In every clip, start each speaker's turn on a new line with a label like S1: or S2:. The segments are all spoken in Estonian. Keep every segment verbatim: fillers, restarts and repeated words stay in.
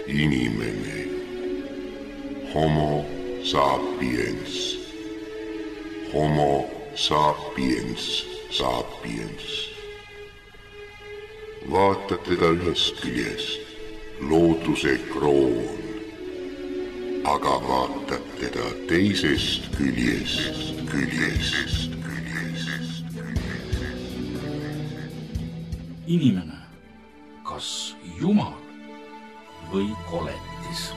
S1: inimene, homo sapiens, homo sapiens, sapiens. Vaatad teda ühest küljest, looduse kroon, aga vaatad teda teisest küljest, küljest, küljest.
S2: Inimene, kas Jumal või koletis?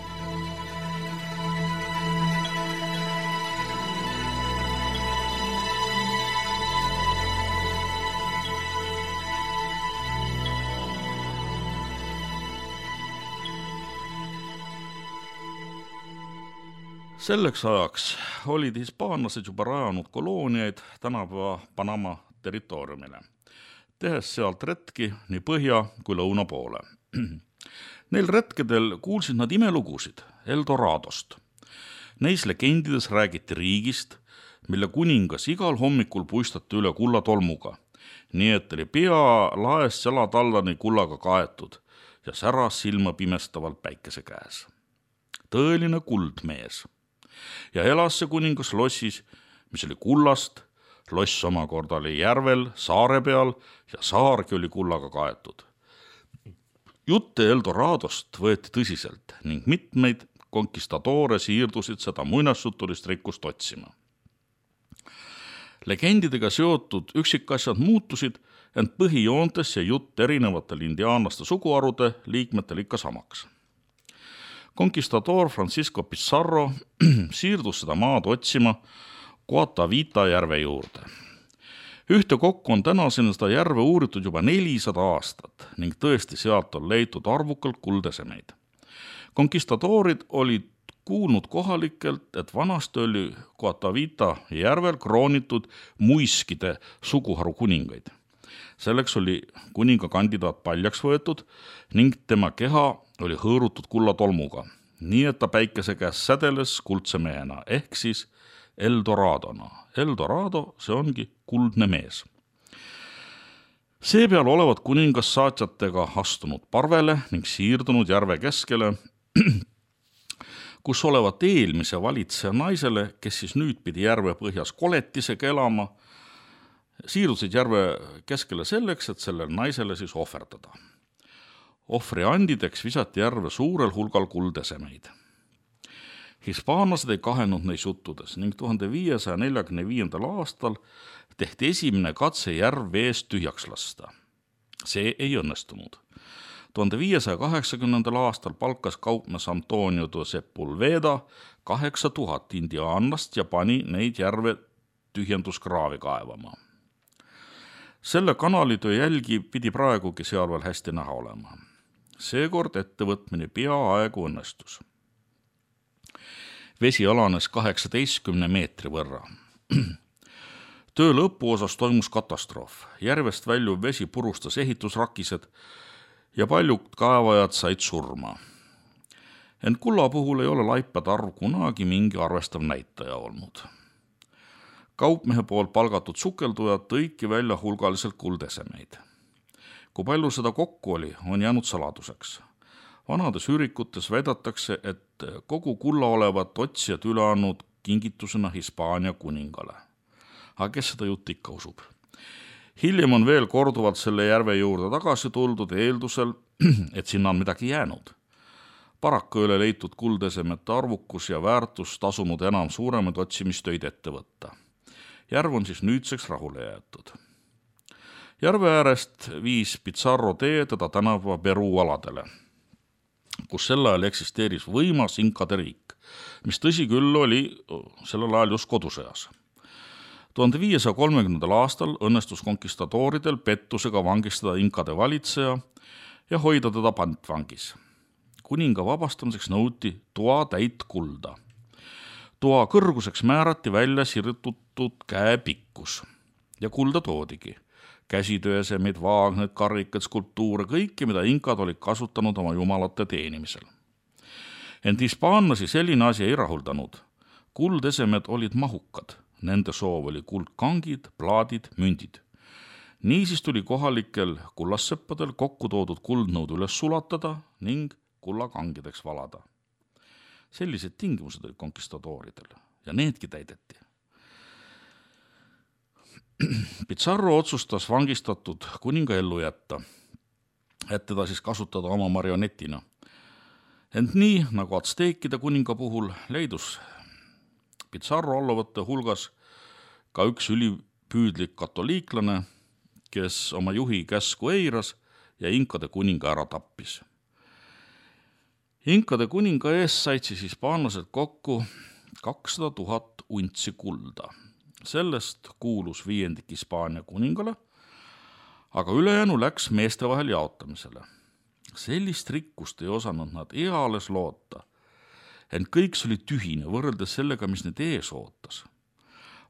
S2: Selleks ajaks olid hispaanlased juba rajanud kolooniaid tänapäeva Panama territooriumile, tehes sealt retki nii põhja kui lõuna poole. Neil retkedel kuulsid nad imelugusid Eldoradost. Neis legendides räägiti riigist, mille kuningas igal hommikul puistati üle kullatolmuga, nii et oli pea laest jalatallani kullaga kaetud ja säras silma pimestavalt päikese käes. Tõeline kuldmees. Ja elas see kuningas lossis, mis oli kullast, loss omakorda oli järvel, saare peal ja saargi oli kullaga kaetud. Jutte Eldoradost võeti tõsiselt ning mitmeid konkistadoore siirdusid seda muinasjutulist rikkust otsima. Legendidega seotud üksikasjad muutusid, ent põhijoontes ja jutt erinevatel indiaanlaste suguharude liikmetel ikka samaks. Conquistador Francisco Pizarro siirdus seda maad otsima Guatavita järve juurde. Ühte kokku on tänaseni seda järve uuritud juba nelisada aastat ning tõesti sealt on leitud arvukalt kuldesemeid. Conquistadorid olid kuulnud kohalikelt, et vanasti oli Guatavita järvel kroonitud muiskide suguharu kuningaid. Selleks oli kuninga kandidaat paljaks võetud ning tema keha oli hõõrutud kullatolmuga, nii et ta päikese käes sädeles kuldse mehena, ehk siis Eldoradona. Eldorado, see ongi kuldne mees. Seepeal olevat kuningas saatjatega astunud parvele ning siirdunud järve keskele, kus olevat eelmise valitseja naisele, kes siis nüüd pidi järve põhjas koletisega elama, siirdusid järve keskele selleks, et sellele naisele siis ohverdada. Ohvri andideks visati järve suurel hulgal kuldesemeid. Hispaanlased ei kahenud neis juttudes ning tuhande viiesaja neljakümne viiendal aastal tehti esimene katse järv veest tühjaks lasta. See ei õnnestunud. tuhande viiesaja kaheksakümnendal aastal palkas kaupmees Antonio de Sepulveda kaheksa tuhat indiaanlast ja pani neid järve tühjenduskraavi kaevama. Selle kanalitöö jälgi pidi praegugi seal veel hästi näha olema. Seekord ettevõtmine peaaegu õnnestus. Vesi alanes kaheksateistkümne meetri võrra. Töö lõpuosas toimus katastroof. Järvest väljuv vesi purustas ehitusrakised ja paljud kaevajad said surma. Ent kulla puhul ei ole laipade arv kunagi mingi arvestav näitaja olnud. Kaupmehe poolt palgatud sukeldujad tõiki välja hulgaliselt kuldesemeid. Kui palju seda kokku oli, on jäänud saladuseks. Vanades ürikutes väidetakse, et kogu kulla olevat otsijad üle andnud kingitusena Hispaania kuningale. Aga kes seda jutt ikka usub? Hiljem on veel korduvalt selle järve juurde tagasi tuldud eeldusel, et sinna on midagi jäänud. Paraku ei ole leitud kuldesemete arvukus ja väärtus tasunud enam suuremaid otsimistöid ette võtta. Järv on siis nüüdseks rahule jäetud. Järve äärest viis Pizarro tee teda tänava Peruu aladele, kus sel ajal eksisteeris võimas inkade riik, mis tõsi küll oli sellel ajal just kodusõjas. tuhande viiesaja kolmekümnendal aastal õnnestus konkistadooridel pettusega vangistada inkade valitseja ja hoida teda pantvangis. Kuninga vabastamiseks nõuti toa täit kulda. Toa kõrguseks määrati välja sirtutud käe pikkus ja kulda toodigi. Käsitöösemeid, vaagneid, karrikad, skulptuure, kõike, mida inkad olid kasutanud oma jumalate teenimisel. Ent hispaanlasi selline asi ei rahuldanud. Kuldesemed olid mahukad. Nende soov oli kuldkangid, plaadid, mündid. Niisiis tuli kohalikel kullasseppadel kokku toodud kuldnõud üles sulatada ning kullakangedeks valada. Sellised tingimused olid konkistadooridel ja needki täideti. Pizarro otsustas vangistatud kuninga ellu jätta, et teda siis kasutada oma marionetina. Ent nii, nagu atsteekide kuninga puhul, leidus Pizarro alluvate hulgas ka üks ülipüüdlik katoliiklane, kes oma juhi käsku eiras ja inkade kuninga ära tappis. Inkade kuninga ees said siis hispaanlased kokku kakssada tuhat untsi kulda. Sellest kuulus viiendik Hispaania kuningale, aga ülejäänu läks meeste vahel jaotamisele. Sellist rikkust ei osanud nad eales loota, ent kõik see oli tühine võrreldes sellega, mis need ees ootas.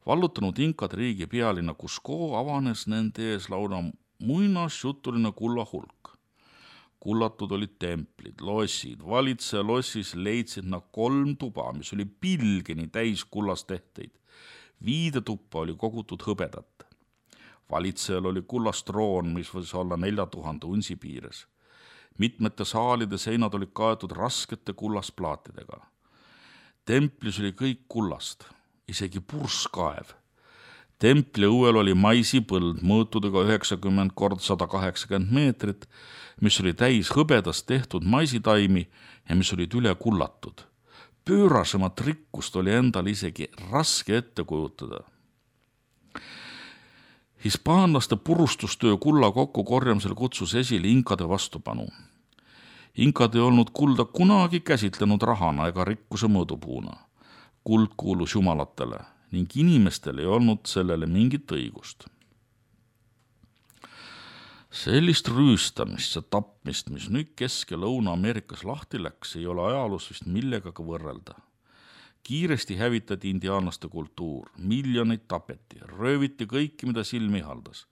S2: Vallutanud inkade riigi pealinna Cusco avanes nende ees lauda muinasjutuline kulla hulk. Kullatud olid templid, lossid, valitseja lossis leidsid nad kolm tuba, mis oli pilgeni täis kullast tehteid. Viide tuppa oli kogutud hõbedat. Valitsejal oli kullast troon, mis võis olla nelja tuhande unsi piires. Mitmete saalide seinad olid kaetud raskete kullasplaatidega. Templis oli kõik kullast, isegi purskaev. Templi õuel oli maisipõld mõõtudega üheksakümmend kord sada kaheksakümmend meetrit, mis oli täis hõbedast tehtud maisitaimi ja mis olid üle kullatud. Pöörasemat rikkust oli endal isegi raske ette kujutada. Hispaanlaste purustustöö kulla kokkukorjamisel kutsus esile inkade vastupanu. Inkad ei olnud kulda kunagi käsitlenud rahana ega rikkuse mõõdupuuna. Kuld kuulus jumalatele ning inimestel ei olnud sellele mingit õigust. Sellist rüüstamist ja tapmist, mis nüüd Kesk- ja Lõuna-Ameerikas lahti läks, ei ole ajaloos vist millegagi võrrelda. Kiiresti hävitati indiaanlaste kultuur, miljoneid tapeti, rööviti kõiki, mida silmi haldas.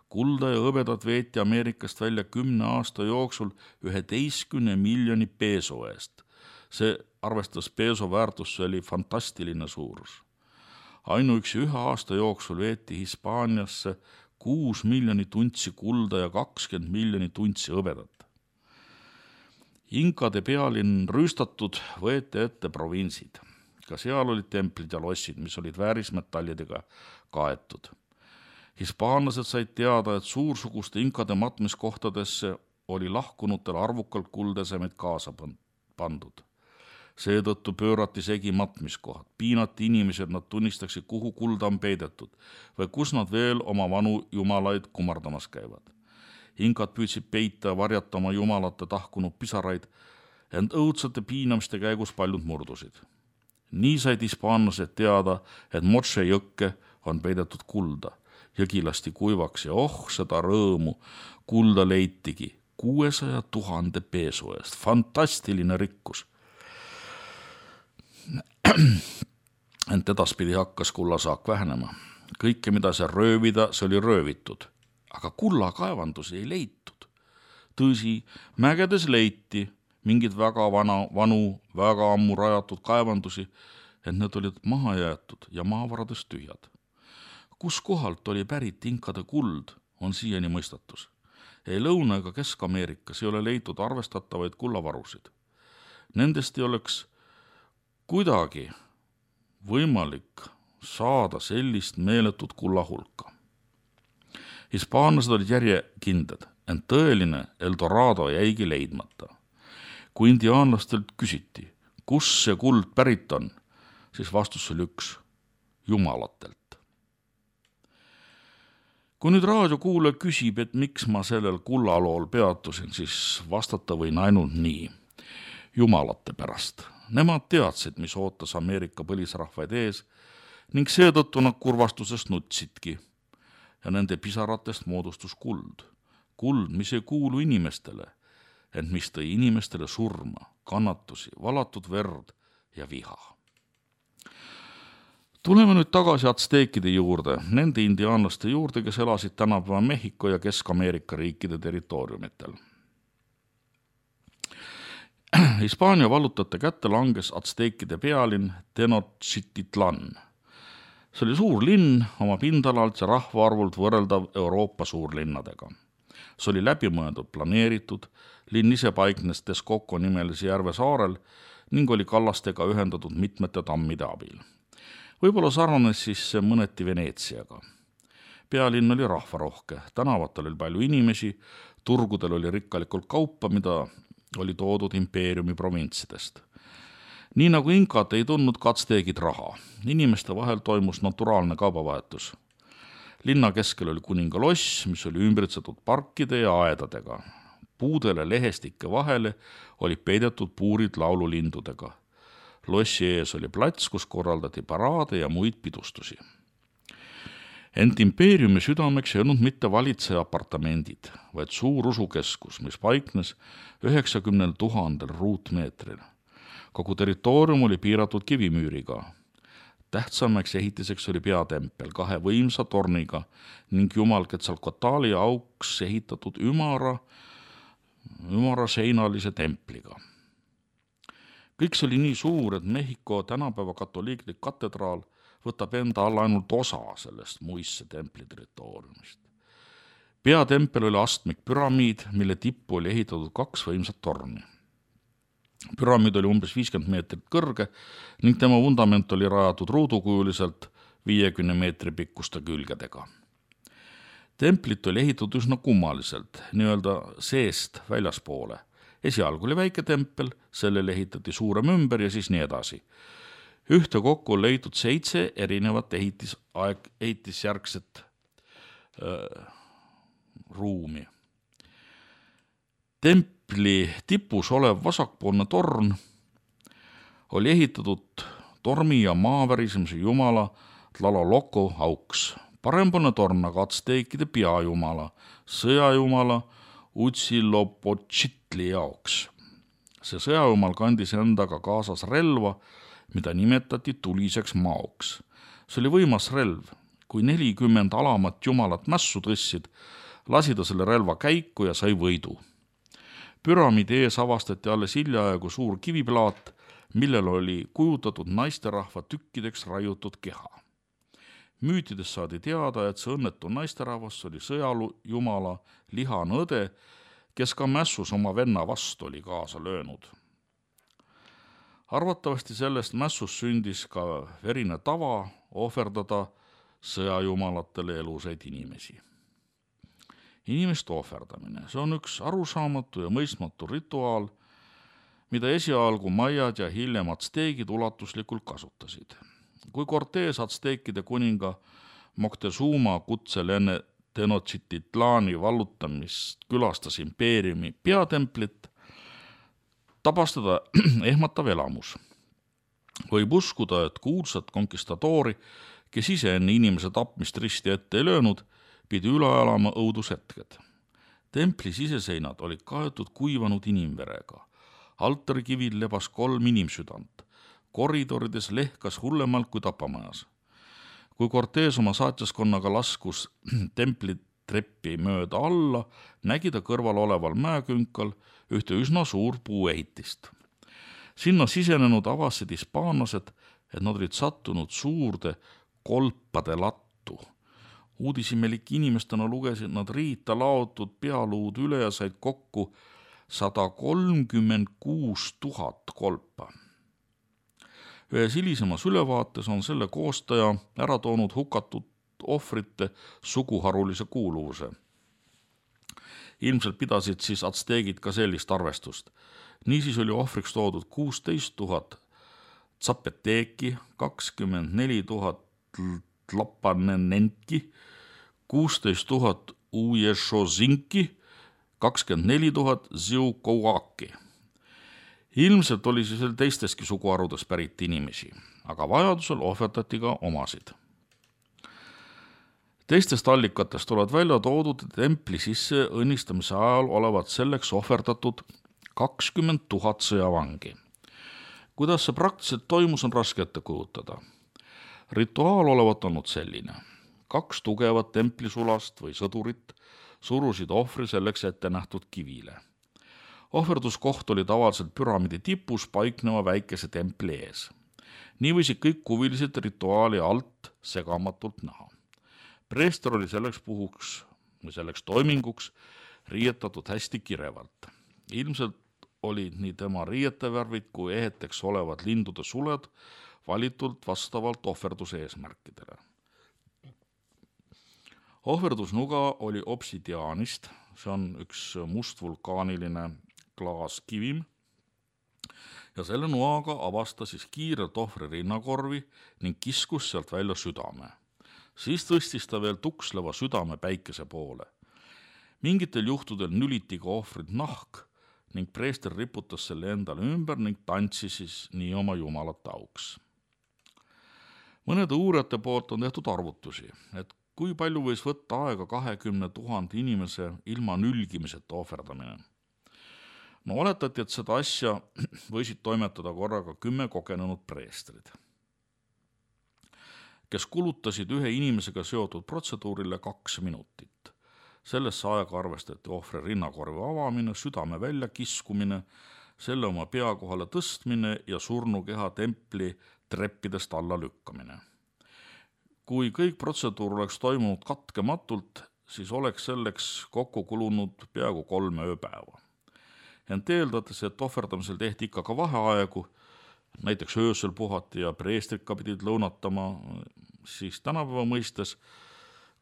S2: Kulda ja hõbedat veeti Ameerikast välja kümne aasta jooksul üheteistkümne miljoni peso eest. See arvestas peso väärtus, see oli fantastiline suurus. Ainuüksi ühe aasta jooksul veeti Hispaaniasse kuus miljonit untsi kulda ja kakskümmend miljonit untsi hõbedat. Inkade pealinn rüüstatud, võeti ette provintsid. Ka seal olid templid ja lossid, mis olid väärismetallidega kaetud. Hispaanlased said teada, et suursuguste inkade matmiskohtadesse oli lahkunutel arvukalt kuldesemed kaasa pandud. Seetõttu pöörati segi matmiskohad, piinati inimesed, nad tunnistaksid, kuhu kulda on peidetud või kus nad veel oma vanu jumalaid kumardamas käivad. Inkad püüdsid peita ja varjata oma jumalate tahkunud pisaraid, ent õudsate piinamiste käigus paljud murdusid. Nii said hispaanlased teada, et Moche jõkke on peidetud kulda. Jõgi lasti kuivaks ja oh, seda rõõmu, kulda leitigi kuuesaja tuhande peso eest. Fantastiline rikkus. Ent edaspidi hakkas kullasaak vähenema. Kõike, mida see röövida, see oli röövitud. Aga kullakaevandusi ei leitud. Tõsi, mägedes leiti mingid väga vana, vanu, väga ammu rajatud kaevandusi, et need olid maha jäetud ja maavarades tühjad. Kus kohalt oli pärit inkade kuld, on siiani mõistatus. Ei Lõuna- ega Kesk-Ameerikas ei ole leitud arvestatavaid kullavarusid. Nendest ei oleks kuidagi võimalik saada sellist meeletut kullahulka. Hispaanlased olid järjekindlad, ent tõeline Eldorado jäigi leidmata. Kui indiaanlastelt küsiti, kus see kuld pärit on, siis vastus oli üks, jumalatelt. Kui nüüd raadiokuulaja küsib, et miks ma sellel kullalool peatusin, siis vastata võin ainult nii. Jumalate pärast. Nemad teadsid, mis ootas Ameerika põlisrahvaid ees ning seetõttu nad kurvastusest nutsidki ja nende pisaratest moodustus kuld. Kuld, mis ei kuulu inimestele, ent mis tõi inimestele surma, kannatusi, valatud verd ja viha. Tuleme nüüd tagasi atsteekide juurde, nende indiaanlaste juurde, kes elasid tänapäeva Mehhiko ja Kesk-Ameerika riikide territooriumitel. Hispaania vallutate kätte langes atsteekide pealinn Tenochtitlan. See oli suur linn oma pindalalt ja rahvaarvult võrreldav Euroopa suurlinnadega. See oli läbimõeldud planeeritud, linn ise paiknes Texcoco nimelise järve saarel ning oli kallastega ühendatud mitmete tammide abil. Võib-olla sarnanes siis mõneti Veneetsiaga. Pealinn oli rahvarohke, tänavatel oli palju inimesi, turgudel oli rikkalikult kaupa, mida oli toodud impeeriumi provintsidest. Nii nagu inkad ei tundnud katsteegid raha, inimeste vahel toimus naturaalne kaubavahetus. Linna keskel oli kuninga loss, mis oli ümbritsetud parkide ja aedadega. Puudele lehestike vahele oli peidetud puurid laululindudega. Lossi ees oli plats, kus korraldati paraade ja muid pidustusi. Ent impeeriumi südameks ei olnud mitte valitseja apartamendid, vaid suur usukeskus, mis paiknes üheksakümnel tuhandel ruutmeetril. Kogu territoorium oli piiratud kivimüüriga. Tähtsamaks ehitiseks oli peatempel kahe võimsa torniga ning jumal Quetzalcoatli auks ehitatud ümara, ümara seinalise templiga. Kõik see oli nii suur, et Mehhiko tänapäeva katoliiklik katedraal võtab enda alla ainult osa sellest muisse templi territooriumist. Peatempel oli astmik püramiid, mille tippu oli ehitatud kaks võimsat torni. Püramiid oli umbes viiskümmend meetrit kõrge ning tema vundament oli rajatud ruudukujuliselt viiekümne meetri pikkuste külgedega. Templit oli ehitatud üsna kummaliselt, nii-öelda seest väljaspoole. Esialgu oli väike tempel, sellele ehitati suurem ümber ja siis nii edasi. Ühte kokku on leitud seitse erinevat ehitisaeg, ehitisjärgset äh, ruumi. Templi tipus olev vasakpoolne torn oli ehitatud tormi ja maavärisemise jumala Tlaloloko auks. Parempoolne torn aga atsteekide peajumala, sõjajumala Huitzilopochtli jaoks. See sõjajumal kandis endaga kaasas relva, mida nimetati tuliseks maoks. See oli võimas relv. Kui nelikümmend alamat jumalat mässu tõssid, lasi ta selle relva käiku ja sai võidu. Püramiidi ees avastati alles hiljaaegu suur kiviplaat, millel oli kujutatud naisterahva tükkideks raiutud keha. Müütides saadi teada, et see õnnetu naisterahvas oli sõjajumala lihanõde, kes ka mässus oma venna vastu oli kaasa löönud. Arvatavasti sellest mässus sündis ka verine tava ohverdada sõjajumalatele elusaid inimesi. Inimeste ohverdamine, see on üks arusaamatu ja mõistmatu rituaal, mida esialgu maiad ja hiljem atsteegid ulatuslikult kasutasid. Kui Cortés atsteekide kuninga Moctezuma kutsel enne Tenochtitlaani vallutamist külastas impeeriumi peatemplit, tabas teda ehmatav elamus. Võib uskuda, et kuulsat konkistadoori, kes ise enne inimese tapmist risti ette ei löönud, pidi üle elama õudushetked. Templi siseseinad olid kaetud kuivanud inimverega. Altarikivil lebas kolm inimsüdant. Koridorides lehkas hullemalt kui tapamajas. Kui Cortés oma saatjaskonnaga laskus templi treppi mööda alla, nägi ta kõrval oleval mäekünkal ühte üsna suur puuehitist. Sinna sisenenud avasid hispaanlased, et nad olid sattunud suurde kolpade lattu. Uudisimelik inimestena lugesid nad riita laotud pealuud üle ja said kokku sada kolmkümmend kuus tuhat kolpa. Ühes hilisemas ülevaates on selle koostaja ära toonud hukatud ohvrite suguharulise kuuluvuse. Ilmselt pidasid siis atsteegid ka sellist arvestust. Niisiis oli ohvriks toodud kuusteist tuhat tsapeteeki, kakskümmend neli tuhat tlapanenenki, kuusteist tuhat uješozinki, kakskümmend neli tuhat ziukouaki. Ilmselt oli siis veel teisteski suguharudes pärit inimesi, aga vajadusel ohverdati ka omasid. Teistest allikatest oled välja toodud templi sisse õnnistamise ajal olevat selleks ohverdatud kakskümmend tuhat sõjavangi. Kuidas see praktiliselt toimus, on raske ette kujutada. Rituaal olevat olnud selline. Kaks tugevat templisulast või sõdurit surusid ohvri selleks ette nähtud kivile. Ohverduskoht oli tavaliselt püramiidi tipus paikneva väikese templi ees. Nii võisid kõik huvilised rituaali alt segamatult näha. Preester oli selleks puhuks või selleks toiminguks riietatud hästi kirevalt. Ilmselt olid nii tema riietevärvid kui eheteks olevad lindude suled valitult vastavalt ohverduse eesmärkidele. Ohverdusnuga oli obsidiaanist, see on üks must vulkaaniline klaaskivim, ja selle noaga avastas siis kiirelt ohvri rinnakorvi ning kiskus sealt välja südame. Siis tõstis ta veel tuksleva südame päikese poole. Mingitel juhtudel nüliti ka ohvrid nahk ning preester riputas selle endale ümber ning tantsis siis nii oma jumalat auks. Mõnede uurijate poolt on tehtud arvutusi, et kui palju võis võtta aega kahekümne tuhande inimese ilma nülgimiseta ohverdamine. No oletati, et seda asja võisid toimetada korraga kümme kogenenud preestrid, kes kulutasid ühe inimesega seotud protseduurile kaks minutit. Sellesse aega arvestati ohvri rinnakorvi avamine, südame välja kiskumine, selle oma pea kohale tõstmine ja surnukeha templi treppidest alla lükkamine. Kui kõik protseduur oleks toimunud katkematult, siis oleks selleks kokku kulunud peaaegu kolme ööpäeva. Ent eeldades, et ohverdamisel tehti ikka ka vaheaegu, näiteks öösel puhati ja preestrika pidid lõunatama, siis tänapäeva mõistes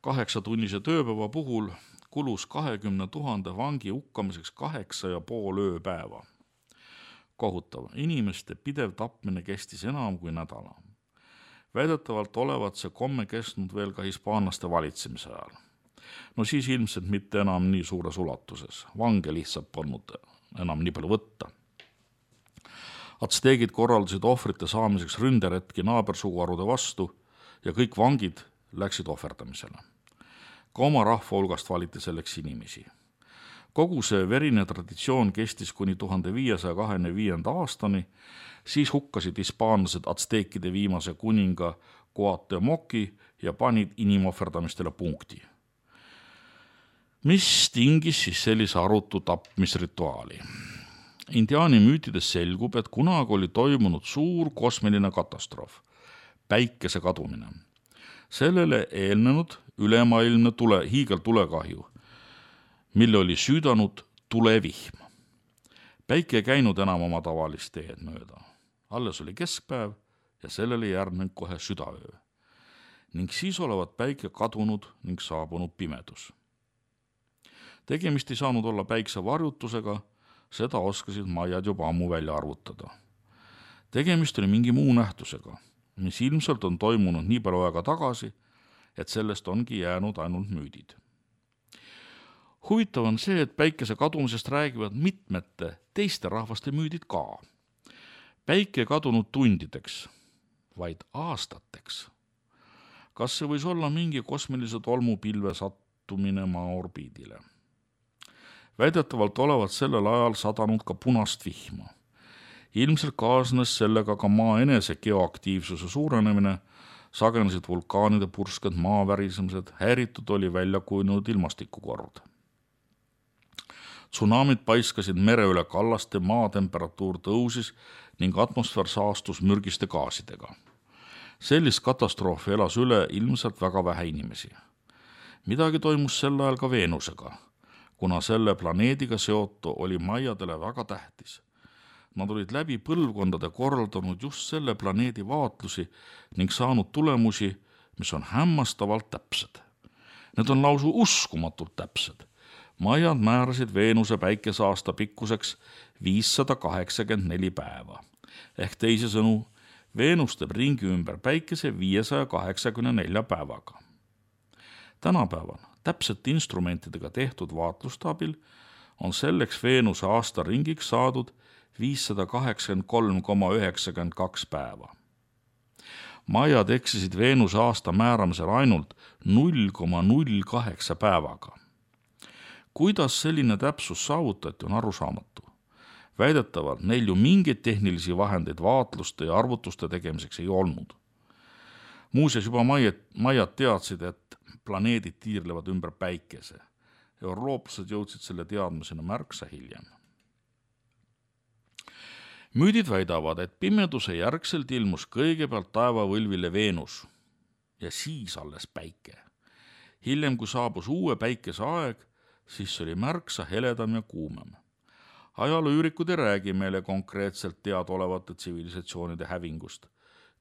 S2: kaheksatunnise tööpäeva puhul kulus kahekümne tuhande vangi hukkamiseks kaheksa ja pool ööpäeva. Kohutav, inimeste pidev tapmine kestis enam kui nädala. Väidetavalt olevat see komme kestnud veel ka hispaanlaste valitsemise ajal. No siis ilmselt mitte enam nii suures ulatuses, vange lihtsalt polnud enam nii palju võtta. Atsteegid korraldasid ohvrite saamiseks ründeretki naabersuguharude vastu ja kõik vangid läksid ohverdamisele. Ka oma rahva hulgast valiti selleks inimesi. Kogu see verine traditsioon kestis kuni tuhande viiesaja kahekümne viienda aastani, siis hukkasid hispaanlased atsteekide viimase kuninga Cuauhtemoci ja panid inimohverdamistele punkti. Mis tingis siis sellise arutu tapmisrituaali? Indiaani müütides selgub, et kunagi oli toimunud suur kosmiline katastroof, päikese kadumine. Sellele eelnenud ülemaailmne tule, hiigeltulekahju, mille oli süüdanud tulevihm. Päike ei käinud enam oma tavalist teed mööda. Alles oli keskpäev ja sellele järgnenud kohe südaöö. Ning siis olevat päike kadunud ning saabunud pimedus. Tegemist ei saanud olla päikse varjutusega, seda oskasid maiad juba ammu välja arvutada. Tegemist oli mingi muu nähtusega, mis ilmselt on toimunud nii palju aega tagasi, et sellest ongi jäänud ainult müüdid. Huvitav on see, et päikese kadumisest räägivad mitmete teiste rahvaste müüdid ka. Päike kadunud tundideks, vaid aastateks. Kas see võis olla mingi kosmilise tolmupilve sattumine maa orbiidile? Väidetavalt olevat sellel ajal sadanud ka punast vihma. Ilmselt kaasnes sellega ka maa enese geoaktiivsuse suurenemine, sagenesid vulkaanide pursked maavärisemised, häiritud oli välja kujunenud ilmastikukord. Tsunamid paiskasid mere üle kallaste, maa temperatuur tõusis ning atmosfäär saastus mürgiste gaasidega. Sellist katastroofi elas üle ilmselt väga vähe inimesi. Midagi toimus sel ajal ka Veenusega, kuna selle planeediga seotu oli maiadele väga tähtis. Nad olid läbi põlvkondade korraldanud just selle planeedi vaatlusi ning saanud tulemusi, mis on hämmastavalt täpsed. Need on lausu uskumatult täpsed. Maiad määrasid Veenuse päikeseaasta pikkuseks viissada kaheksakümmend neli päeva. Ehk teisisõnu, Veenus teeb ringi ümber päikese viiesaja kaheksakümne nelja päevaga. Tänapäeval täpsete instrumentidega tehtud vaatlustaabil on selleks Veenuse aasta ringiks saadud viissada kaheksakümmend kolm koma üheksakümmend kaks päeva. Maiad eksisid Veenuse aasta määramisel ainult null koma null kaheksa päevaga. Kuidas selline täpsus saavutati, on arusaamatu. Väidetavalt neil ju mingeid tehnilisi vahendeid vaatluste ja arvutuste tegemiseks ei olnud. Muuseas juba maiad, maiad teadsid, et planeedid tiirlevad ümber päikese. Eurooplased jõudsid selle teadmisena märksa hiljem. Müüdid väidavad, et pimeduse järgselt ilmus kõigepealt taevavõlvile Veenus ja siis alles päike. hiljem, kui saabus uue päikese aeg, siis oli märksa heledam ja kuumem. Ajalooüürikud ei räägi meile konkreetselt teadaolevate tsivilisatsioonide hävingust.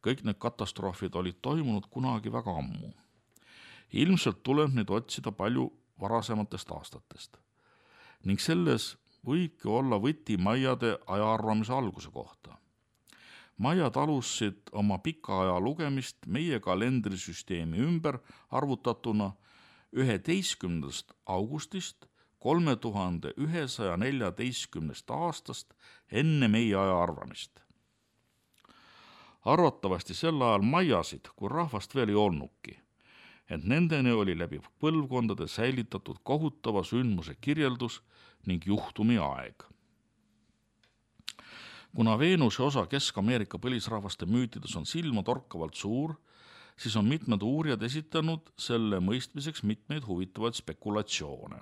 S2: Kõik need katastroofid olid toimunud kunagi väga ammu. Ilmselt tuleb neid otsida palju varasematest aastatest. Ning selles võibki olla võti maiade ajaarvamise alguse kohta. Maiad alustasid oma pika aja lugemist meie kalendrisüsteemi ümber arvutatuna üheteistkümnendast augustist kolme tuhande ühesaja neljateistkümnest aastast enne meie aja arvamist. Arvatavasti sel ajal maiasid, kui rahvast veel ei olnudki, ent nendeni oli läbi põlvkondade säilitatud kohutava sündmuse kirjeldus ning juhtumi aeg. Kuna Veenuse osa Kesk-Ameerika põlisrahvaste müütides on silma torkavalt suur, siis on mitmed uurijad esitanud selle mõistmiseks mitmeid huvitavaid spekulatsioone.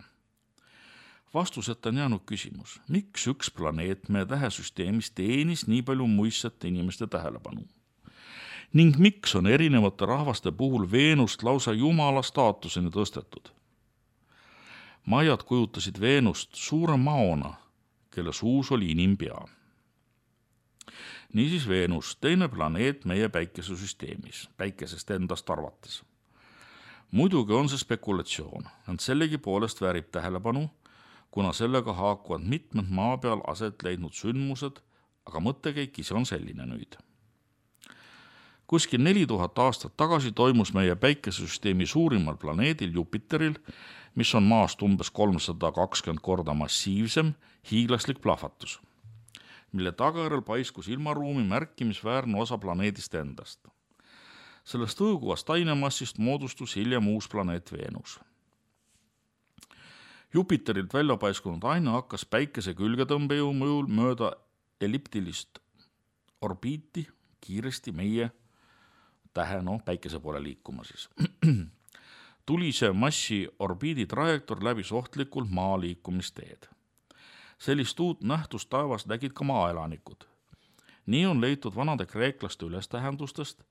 S2: Vastuseta on jäänud küsimus, miks üks planeet meie tähesüsteemis teenis nii palju muistsete inimeste tähelepanu? Ning miks on erinevate rahvaste puhul Veenust lausa jumala staatuseni tõstetud? Maiad kujutasid Veenust suure maona, kelle suus oli inimpea. Niisiis Veenus, teine planeet meie päikesesüsteemis, päikesest endast arvates. Muidugi on see spekulatsioon, ent sellegi poolest väärib tähelepanu, kuna sellega haakuvad mitmed maa peal aset leidnud sündmused, aga mõttekäik ise on selline nüüd. Kuskil neli tuhat aastat tagasi toimus meie päikesesüsteemi suurimal planeedil Jupiteril, mis on maast umbes kolmsada kakskümmend korda massiivsem, hiiglaslik plahvatus, mille tagajärjel paiskus ilmaruumi märkimisväärne osa planeedist endast. Sellest õõguvast ainemassist moodustus hiljem uus planeet Veenus. Jupiterilt välja paiskunud aine hakkas päikese külgetõmbejõu mõjul mööda elliptilist orbiiti kiiresti meie tähe, no päikese poole liikuma siis. Tulise massi orbiidi trajektoor läbis ohtlikult maa liikumisteed. Sellist uut nähtust taevas nägid ka maaelanikud. Nii on leitud vanade kreeklaste ülestähendustest,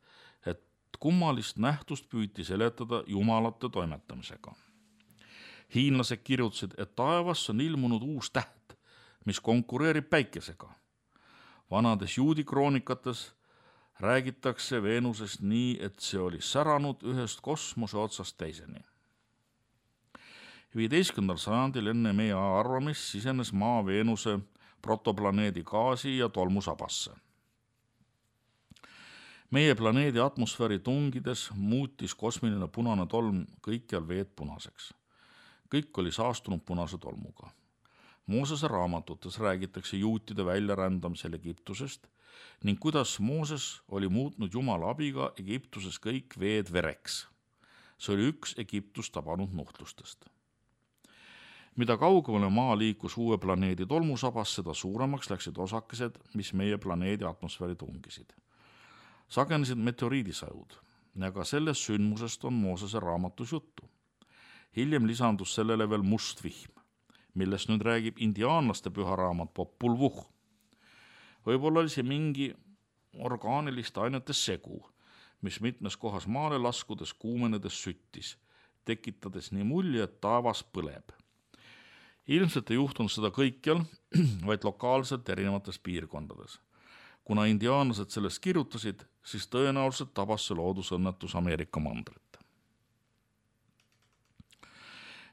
S2: et kummalist nähtust püüti seletada jumalate toimetamisega. Hiinlased kirjutasid, et taevas on ilmunud uus täht, mis konkureerib päikesega. Vanades juudi kroonikates räägitakse Veenusest nii, et see oli säranud ühest kosmose otsast teiseni. viieteistkümnendal sajandil enne meie arvamist sisenes maa Veenuse protoplaneedi gaasi ja tolmusabasse. Meie planeedi atmosfääri tungides muutis kosmiline punane tolm kõikjal veed punaseks. Kõik oli saastunud punase tolmuga. Moosese raamatutes räägitakse juutide väljarändamisel Egiptusest ning kuidas Mooses oli muutnud Jumala abiga Egiptuses kõik veed vereks. See oli üks Egiptust tabanud nuhtlustest. Mida kaugemale maa liikus uue planeedi tolmusabas, seda suuremaks läksid osakesed, mis meie planeedi atmosfääri tungisid. Sagenesid meteoriidisajud, aga sellest sündmusest on Moosese raamatus juttu. Hiljem lisandus sellele veel must vihm, millest nüüd räägib indiaanlaste püha raamat Popul Vuh. Võib-olla oli see mingi orgaaniliste ainete segu, mis mitmes kohas maale laskudes kuumenedes süttis, tekitades nii mulje, et taevas põleb. Ilmselt ei juhtunud seda kõikjal, vaid lokaalselt erinevates piirkondades. Kuna indiaanlased sellest kirjutasid, siis tõenäoliselt tabas see loodusõnnetus Ameerika mandrit.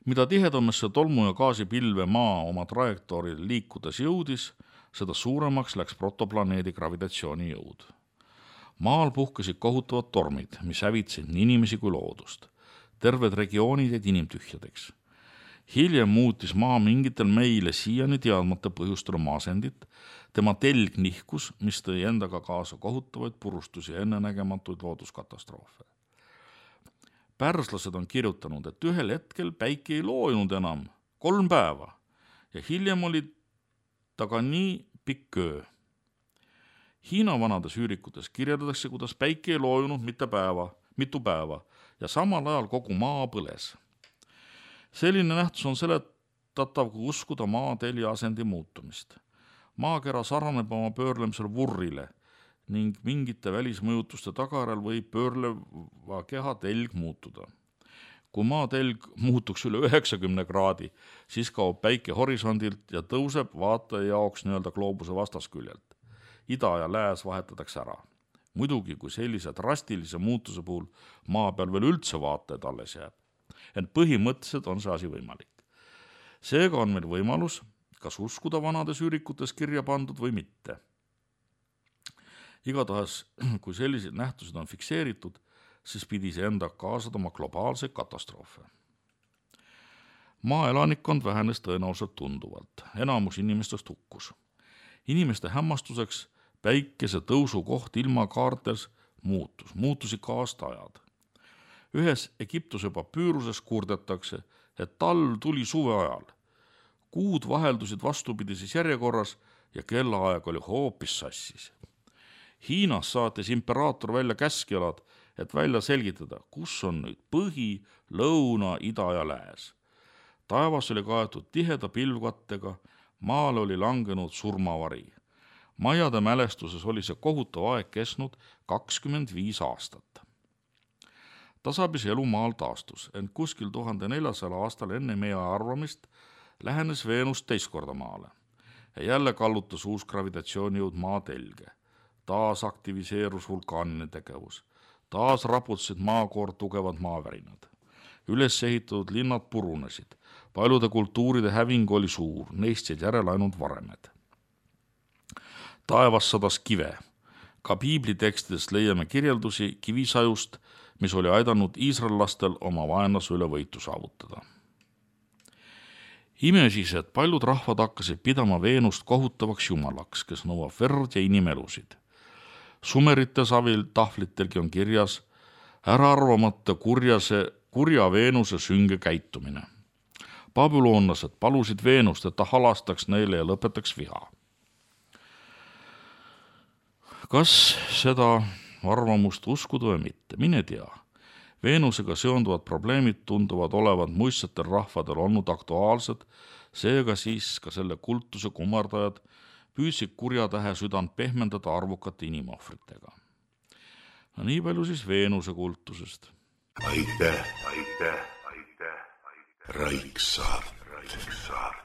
S2: Mida tihedamasse tolmu ja gaasipilve maa oma trajektooril liikudes jõudis, seda suuremaks läks protoplaneedi gravitatsiooni jõud. Maal puhkesid kohutavad tormid, mis hävitsid nii inimesi kui loodust. Terved regioonid jäid inimtühjadeks. Hiljem muutis maa mingitel meile siiani teadmata põhjustel maasendit, tema telg nihkus, mis tõi endaga kaasa kohutavaid purustusi ja ennenägematuid looduskatastroofe. Pärslased on kirjutanud, et ühel hetkel päike ei loojunud enam kolm päeva ja hiljem oli ta ka nii pikk öö. Hiina vanades üürikutes kirjeldatakse, kuidas päike ei loojunud mitte päeva, mitu päeva ja samal ajal kogu maa põles. Selline nähtus on seletatav, kui uskuda maa telje asendi muutumist. Maakera sarnaneb oma pöörlemisel vurrile ning mingite välismõjutuste tagajärjel võib pöörleva keha telg muutuda. Kui maatelg muutuks üle üheksakümne kraadi, siis kaob päike horisondilt ja tõuseb vaataja jaoks nii-öelda gloobuse vastasküljelt. Ida ja lääs vahetatakse ära. Muidugi, kui sellise drastilise muutuse puhul maa peal veel üldse vaatajad alles jääb. Ent põhimõtteliselt on see asi võimalik. Seega on meil võimalus, kas uskuda vanades ürikutes kirja pandud või mitte. Igatahes, kui sellised nähtused on fikseeritud, siis pidi see enda kaasa tooma globaalse katastroofe. Maa elanikkond vähenes tõenäoliselt tunduvalt. Enamus inimestest hukkus. Inimeste hämmastuseks päikese tõusu koht ilmakaartes muutus, muutusid ka aastaajad. Ühes Egiptuse papüüruses kurdetakse, et talv tuli suve ajal. Kuud vaheldusid vastupidises järjekorras ja kellaaeg oli hoopis sassis. Hiinas saatis imperaator välja käskjalad, et välja selgitada, kus on nüüd põhi, lõuna, ida ja lääs. Taevas oli kaetud tiheda pilvkattega, maale oli langenud surmavari. Majade mälestuses oli see kohutav aeg kesnud kakskümmend viis aastat. Tasapisi elu maal taastus, ent kuskil tuhande neljasajal aastal enne meie arvamist lähenes Veenus teist korda maale. Ja jälle kallutas uus gravitatsioonijõud maatelge. Taas aktiviseerus vulkaanine tegevus. Taas raputasid maakoor tugevad maavärinad. Üles ehitatud linnad purunesid. Paljude kultuuride häving oli suur, neist jäid järele ainult varemed. Taevas sadas kive. Ka piiblitekstidest leiame kirjeldusi kivisajust, mis oli aidanud iisraellastel oma vaenlase üle võitu saavutada. Ime siis, et paljud rahvad hakkasid pidama Veenust kohutavaks jumalaks, kes nõuab verd ja inimelusid. Sumerite savil tahvlitelgi on kirjas ära arvamata kurjase, kurja Veenuse sünge käitumine. Babüloonlased palusid Veenust, et ta halastaks neile ja lõpetaks viha. Kas seda arvamust uskuda või mitte? Mine tea. Veenusega seonduvad probleemid tunduvad olevat muistsetel rahvadel olnud aktuaalsed, seega siis ka selle kultuse kummardajad püüdsid kurjatähe südant pehmendada arvukate inimohvritega. No nii palju siis Veenuse kultusest.
S1: Aitäh, aitäh, aitäh, aitäh. Raiksaart. Raiksaart.